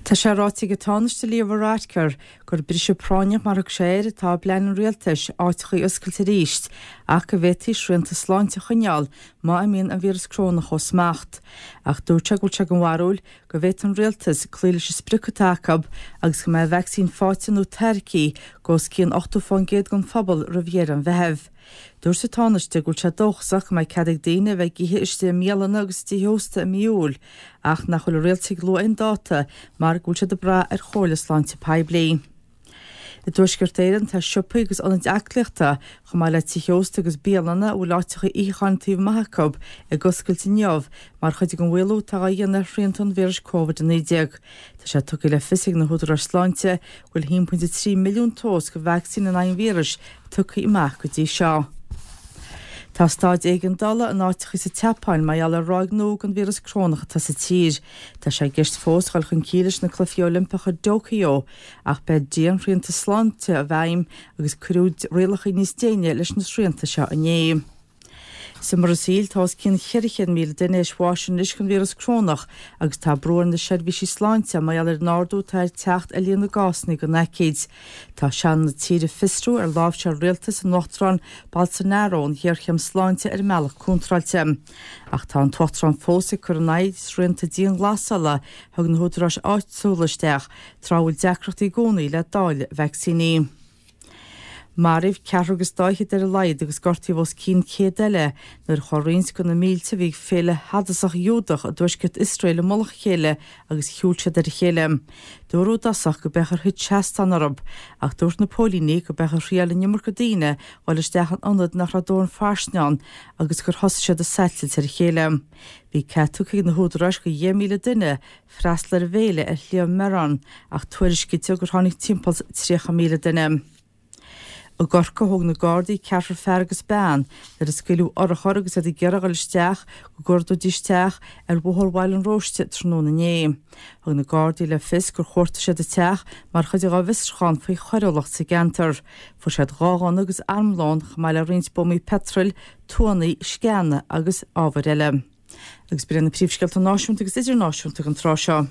Tá sé ráite ag an Tánaiste Leo Varadkar gur briseadh práinneach, mar a thug sé air, atá i bplean an rialtais áiteachaí a oscailt arís ach go bhféadfaí srianta sláinte a choinneáil má imíonn an víreas crónach ó smacht. Ach dúirt sé go bhfuil sé den bharúil go bhféadfaidh an rialtas cloí leis an sprioc atá acu agus go mbeidh vacsaín faighte nó tairgthe ag os cionn 80% den phobal roimh dheireadh an Mheithimh. Dúirt an Tánaiste go bhfuil sé dóchasach go mbeidh cead ag daoine a bheith ag ithe istigh i mbialanna agus i dtithe ósta i mí Iúil ach nach bhfuil an rialtas ag lua aon dáta mar go bhfuil siad ag brath ar chomhairle sláinte poiblí. I dTuaisceart Éireann tá siopaí agus ionaid aclaíochta, chomh maith le tithe ósta agus bialanna a bhfuil áiteacha itheacháin taobh amuigh acu, ag oscailt inniu mar chuid den mhaolú atá á dhéanamh ar shrianta an víris Covid-19. Tá sé tugtha le fios ag na húdaráis sláinte go bhfuil 1.3 milliún dós de vacsaín in aghaidh an víris tugtha amach go dtí seo. Tá staid éigeandála in áiteacha sa tSeapáin mar gheall ar ráig nua den víreas crónach atá sa tír. Tá sé i gceist fós dul chun cinn leis na Cluichí Oilimpeacha i dTóiceo ach beidh dianshrianta sláinte i bhfeidhm agus cuireadh rialacha níos déine leis na srianta seo inné. Sa mBrasaíl, tá os cionn 400,000 duine théis bháis anois den víreas crónach agus tá brú ar na seirbhísí sláinte mar gheall ar an ardú atá ag teacht ar líon na gcásanna den aicíd. Tá Seanad na tíre ag fiosrú ar láimhseáil rialtas an Uachtaráin Bolsonaro an ghéarchéim sláinte ar an mbealach contráilte. Ach tá an tUachtarán fós ag cur in aghaidh srianta dianghlasála a thug na húdaráis áitiúla isteach tráth a bhfuil deacrachtaí i gcónaí le dáileadh vacsaíní. Maraíodh ceathrar agus dá fhichead ar a laghad agus gortaíodh os cionn 100 eile nuair a chuaigh roinnt de na mílte a bhí ag féile shadasach Ghiúdach i dtuaisceart Iosrael i mullach a chéile agus shiúil siad ar a chéile. Dúradh i dtosach go b'é gur thit seastán orthu, ach dúirt na póilíní go b'é gur thriáil an iomarca daoine dhul isteach in ionad nach raibh dóthain fairsinge ann agus gur thosaigh siad ag satailt ar a chéile. Bhí cead tugtha ag na húdaráis do 10,000 duine freastal ar an bhféile ar Shliabh Meron ach tuairiscítear gur tháinig timpeall 30,000 duine. I gCorcaigh thóg na Gardaí ceathrar fear agus bean nuair a scaoileadh urchar agus iad ag iarraidh a dhul isteach go gcuardóidís teach ar Bhóthar Bhaile an Róiste tráthnóna inné. Thug na Gardaí le fios gur chuartaigh siad an teach mar chuid dá bhfiosrúchán faoi choiriúlacht sa gceantar. Fuair siad dhá ghunna agus armlón chomh maith le roinnt buamaí peitril, tuanna, sceana agus ábhair eile. Agus b'in iad na príomhscéalta náisiúnta agus idirnáisiúnta don tráth seo.